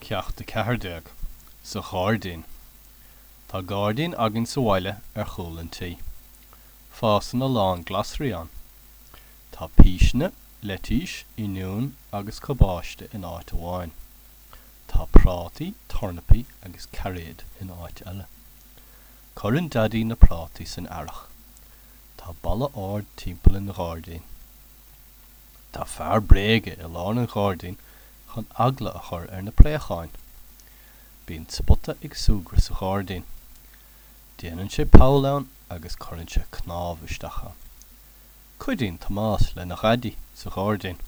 Ceacht 14, Sa Ghairdín Tá gairdín againn sa bhaile ar chúl an tí. Fásann a lán glasraí ann. Tá píseanna, leitís, oinniúin agus cabáiste in áit amháin. Tá prátaí, tornapaí agus cairéid in áit eile. Cuireann Daidí na prátaí san earrach. Tá balla ard timpeall an ghairdín. Tá fear bréige i lár an ghairdín chun eagla a chur ar na préacháin. Bíonn Spota ag súgradh sa ghairdín. Déanann sé poll ann agus cuireann sé cnámh isteach ann. Cuidíonn Tomás lena Dhaidí sa ghairdín.